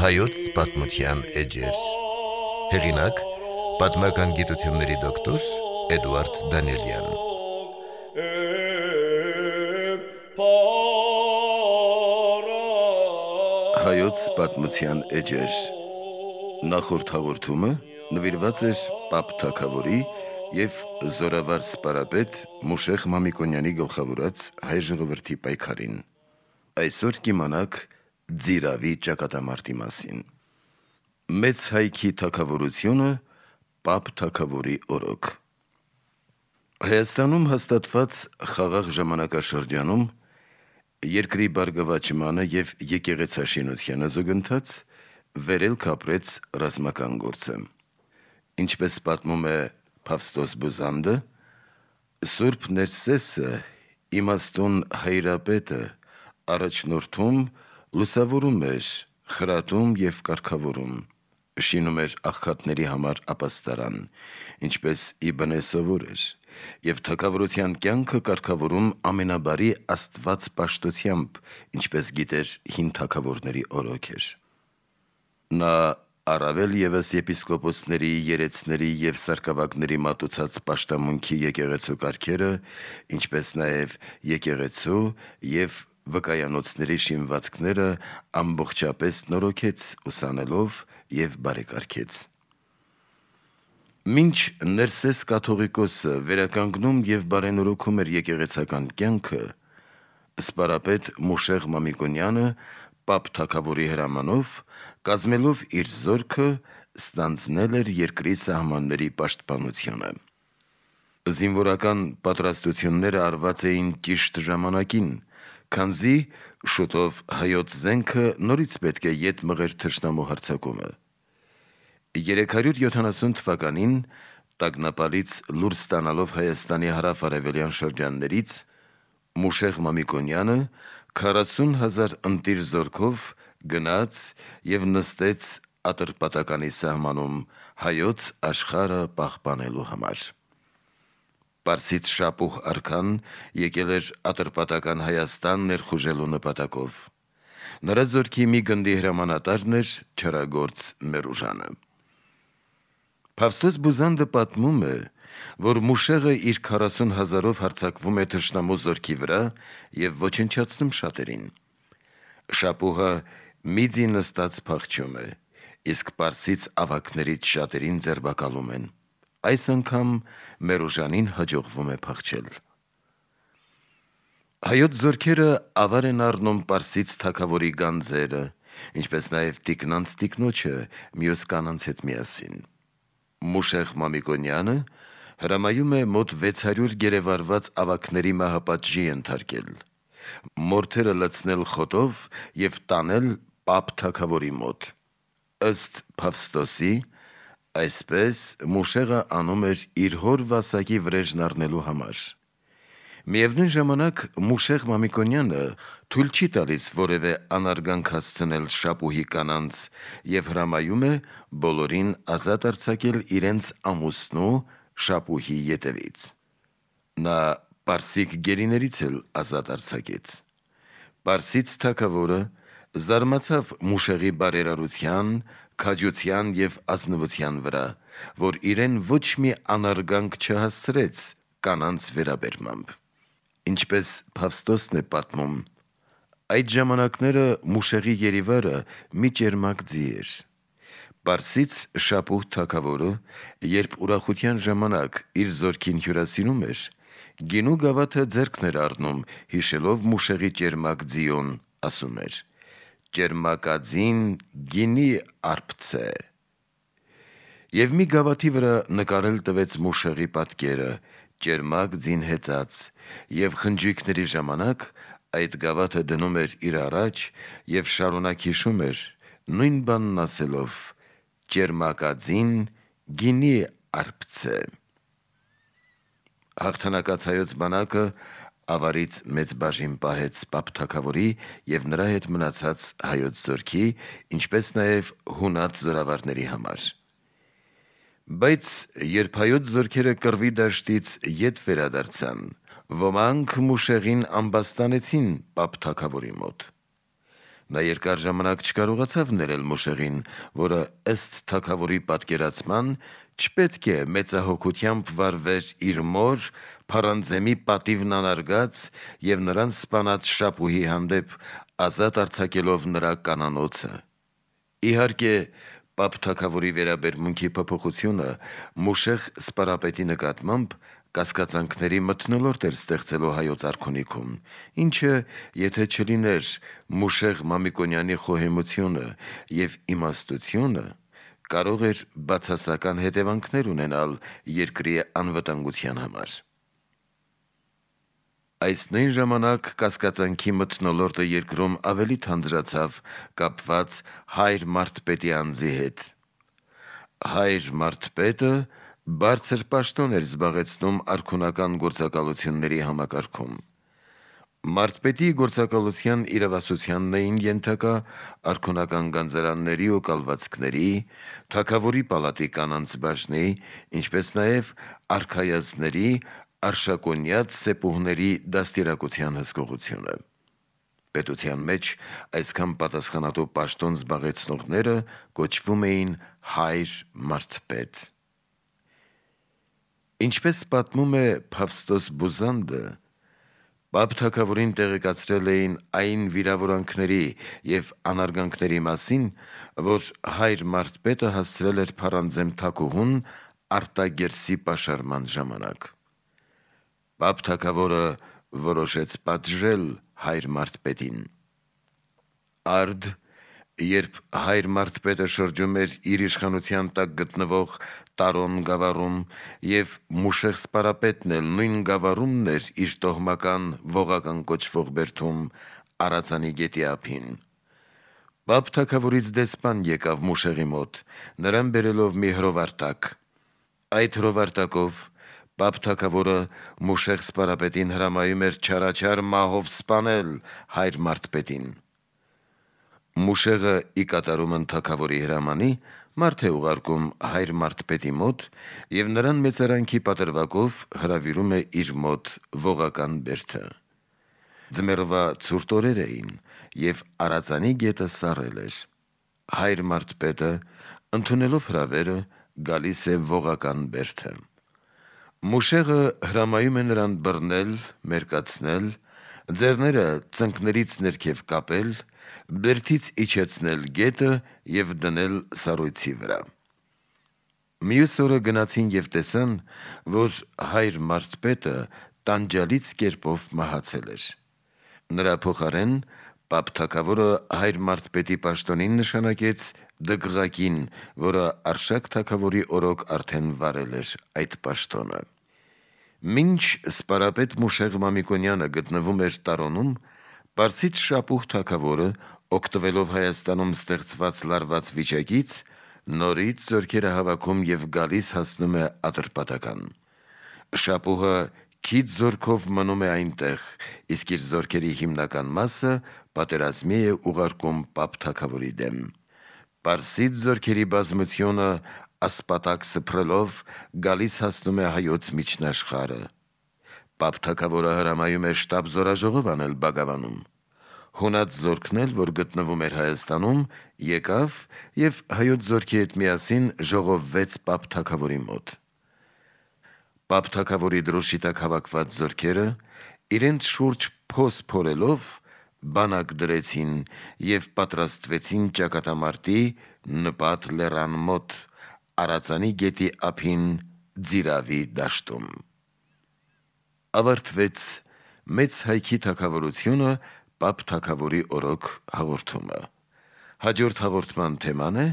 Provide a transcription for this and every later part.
Հայոց պատմության էջեր։ Հեղինակ՝ պատմական գիտությունների դոկտոր Էդուարդ Դանիելյան։ Հայոց պատմության էջեր նախորդ հաղորդումը նվիրված էր Պապ Թագավորի և զորավար սպարապետ Մուշեղ Մամիկոնյանի գլխավորած հայ ժողովրդի պայքարին։ Այսօր կիմանաք Ձիրավի ճակատամարտի մասին։ Մեծ հայքի թագավորությունը Պապ Թագավորի օրոք։ Հայաստանում հաստատված խաղաղ ժամանակաշրջանում երկրի բարգավաճմանը և եկեղեցաշինությանը զուգընթաց վերելք ապրեց ռազմական գործը։ Ինչպես պատմում է Փավստոս Բուզանդը, Սուրբ Ներսեսը, իմաստուն հայրապետը, առաջնորդում, լուսավորում էր, խրատում և կարգավորում, շինում էր աղքատների համար ապաստարան, ինչպես ի բնե սովոր էր, և թագավորության կյանքը կարգավորում ամենաբարի Աստված պաշտությամբ, ինչպես գիտեր հին թագավորների օրոք էր։ Նա առավել ևս եպիսկոպոսների, երեցների և սարկավագների մատուցած պաշտամունքի եկեղեցու կարգերը, ինչպես նաև եկեղեցու և վկայանոցների շինվածքները ամբողջապես նորոգեց ուսանելով և բարեկարգեց։ Մինչ Ներսես կաթողիկոսը վերականգնում և բարենորոգում էր եկեղեցական կյանքը, սպարապետ Մուշեղ Մամիկոնյանը Պապ Թագավորի հրամանով, կազմելով իր զորքը, ստանձնել էր երկրի սահմանների պաշտպանությունը։ Զինվորական պատրաստությունները արված էին ճիշտ ժամանակին, քանզի շուտով հայոց զենքը նորից պետք է ետ մղեր թշնամու հարձակումը։ 370 թվականին տագնապալից լուր ստանալով Հայաստանի հարավ-արևելյան շրջաններից, Մուշեղ Մամիկոնյանը 40,000 ընտիր զորքով գնաց և նստեց Ատրպատականի սահմանում հայոց աշխարհը պահպանելու համար։ Պարսից Շապուհ արքան եկել էր Ատրպատական Հայաստան ներխուժելու նպատակով։ Նրա զորքի մի գնդի հրամանատարն էր չարագործ Մերուժանը։ Փավստոս Բուզանդը պատմում է, որ Մուշեղը իր 40,000-ով հարձակվում է թշնամու զորքի վրա և ոչնչացնում շատերին։ Շապուհը մի ձի նստած փախչում է, իսկ պարսից ավագներից շատերին ձերբակալում են։ Այս անգամ Մերուժանին հաջողվում է փախչել։ Հայոց զորքերը ավար են առնում պարսից թագավորի գանձերը, ինչպես նաև տիկնանց տիկնոջը մյուս կանանց հետ միասին։ Մուշեղ Մամիկոնյանը հրամայում է մոտ 600 գերեվարված ավագների մահապատժի ենթարկել, մորթերը լցնել խոտով և տանել Պապ Թագավորի մոտ։ Ըստ Փավստոսի, այսպես Մուշեղը անում էր իր հոր վասակի վրեժն առնելու համար։ Միևնույն ժամանակ Մուշեղ Մամիկոնյանը թույլ չի տալիս որևէ անարգանք հասցնել Շապուհի կանանց և հրամայում է բոլորին ազատ արձակել իրենց ամուսնու Շապուհի ետևից։ Նա պարսիկ գերիներից էլ ազատ արձակեց։ Պարսից թագավորը զարմացավ Մուշեղի բարերարության, քաջության և ազնվության վրա, որ իրեն ոչ մի անարգանք չհասցրեց կանանց վերաբերմամբ։ Ինչպես Փավստոսն է պատմում, այդ ժամանակները Մուշեղի գերիվարը մի ճերմակ ձի էր։ Պարսից Շապուհ թագավորը, երբ ուրախության ժամանակ իր զորքին հյուրասիրում էր, գինու գավաթը ձեռքն էր առնում, հիշելով Մուշեղի ճերմակ ձիուն, ասում էր. «Ճերմակաձին գինի արբցե»։ Եվ մի գավաթի վրա նկարել տվեց Մուշեղի պատկերը, ճերմակ ձին հեծած, և խնջույքների ժամանակ այդ գավաթը դնում էր իր առաջ և շարունակ հիշում էր, նույն բանն ասելով. «Ճերմակաձին գինի արբցե»։ Հաղթանակած հայոց բանակը ավարից մեծ բաժին պահեց Պապ Թագավորի և նրա հետ մնացած հայոց զորքի, ինչպես նաև հունատ զորավարների համար։ Բայց երբ հայոց զորքերը Կռվի դաշտից ետ վերադարձան, ոմանք Մուշեղին ամբաստանեցին Պապ Թագավորի մոտ։ Նա երկար ժամանակ չկարողացավ ներել Մուշեղին, որը ըստ թագավորի պատկերացման չպետք է մեծահոգությամբ վարվեր իր մոր Փարանձեմի պատիվն անարգած եւ նրան սպանած Շապուհի հանդեպ ազատ արձակելով նրա կանանոցը։ Իհարկե, Պապ թագավորի վերաբերմունքի փոփոխությունը Մուշեղ սպարապետի նկատմամբ կասկածանքների մթնոլորտ էր ստեղծելու հայոց արքունիքում, ինչը, եթե չլիներ Մուշեղ Մամիկոնյանի խոհեմությունը եւ իմաստությունը, կարող էր բացասական հետևանքներ ունենալ երկրի անվտանգության համար։ Այս նույն ժամանակ կասկածանքի մթնոլորտը երկրում ավելի թանձրացավ կապված հայր Մարդպետի անձի հետ։ Հայր Մարդպետը բարձր պաշտոն էր զբաղեցնում արքունական գործակալությունների համակարգում։ Մարդպետի գործակալության իրավասությանն էին ենթակա արքունական գանձարանների ու կալվածքների, թագավորի պալատի կանանց բաժնի, ինչպես նաև արքայազների, արշակոնյաց սեպուհների դաստիարակության հսկողությունը։ Պետության մեջ այսքան պատասխանատու պաշտոն զբաղեցնողները կոչվում էին հայր Մարդպետ։ Ինչպես պատմում է Փավստոս Բուզանդը, Պապ թագավորին տեղեկացրել էին այն վիրավորանքների եւ անարգանքների մասին, որ հայր Մարդպետը հասցրել էր Փարանձեմ թագուհուն արտագերսի պաշարման ժամանակ։ Պապ թագավորը որոշեց պատժել հայր Մարդպետին։ Արդ, երբ հայր Մարդպետը շրջում էր իր իշխանության տակ գտնվող Տարոն գավառում եւ Մուշեղ սպարապետն էլ նույն գավառումն էր իր տոհմական Ողական կոչվող բերդում Արածանի գետի ափին, Պապ թագավորից դեսպան եկավ Մուշեղի մոտ, նրան բերելով մի հրովարտակ։ Այդ հրովարտակով Պապ թագավորը Մուշեղ սպարապետին հրամայում էր չարաչար մահով սպանել հայր Մարդպետին։ Մուշեղը ի կատարումն թագավորի հրամանի մարդ է ուղարկում հայր Մարդպետի մոտ եւ նրան մեծարանքի պատրվակով հրավիրում է իր մոտ Ողական բերդը։ Ձմեռվա ցուրտ օրեր էին եւ Արածանի գետը սառել էր։ Հայր Մարդպետը, ընդունելով հրավերը, գալիս է Ողական բերդը։ Մուշեղը հրամայում է նրան բռնել, մերկացնել, ձեռները ծնկներից ներքև կապել, բերդից իջեցնել գետը եւ դնել սառույցի վրա։ Մյուս օրը գնացին եւ տեսան, որ հայր Մարդպետը տանջալից կերպով մահացել էր։ Նրա փոխարեն Պապ թագավորը հայր Մարդպետի պաշտոնին նշանակեց Դգղակին, որը Արշակ թագավորի օրոք արդեն վարել էր այդ պաշտոնը։ Մինչ սպարապետ Մուշեղ Մամիկոնյանը գտնվում էր Տարոնում, Պարսից Շապուհ թագավորը, օգտվելով Հայաստանում ստեղծված լարված վիճակից, նորից զորքերը հավաքում եւ գալիս հասնում է Ատրպատական։ Շապուհը քիչ զորքով մնում է այնտեղ, իսկ իր զորքերի հիմնական մասը պատերազմի է ուղարկում Պապ թագավորի դեմ։ Պարսից զորքերի բազմությունը ասպատակ սփռելով գալիս հասնում է հայոց միջնաշխարհը։ Պապ թագավորը հրամայում է շտաբ զորաժողով անել Բագավանում։ Հունած զորքն էլ, որ գտնվում էր Հայաստանում, եկավ եւ հայոց զորքի հետ միասին ժողովվեց Պապ թագավորի մոտ։ Պապ թագավորի դրոշի տակ հավաքված զորքերը իրենց շուրջ փոս փորելով բանակ դրեցին եւ պատրաստվեցին ճակատամարտի Նպատ լեռան մոտ Արածանի գետի ափին Ձիրավի դաշտում։ Ավարտվեց մեծ հայքի թագավորությունը Պապ թագավորի օրոք հաղորդումը։ Հաջորդ հաղորդման թեման է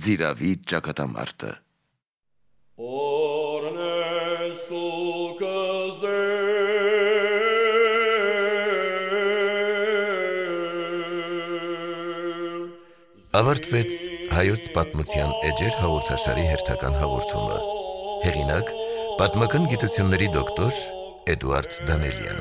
Ձիրավի ճակատամարտը։ Ավարտվեց հայոց պատմության էջեր հաղորդաշարի հերթական հաղորդումը։ Հեղինակ՝ պատմական գիտությունների դոկտոր Էդուարդ Դանելյան։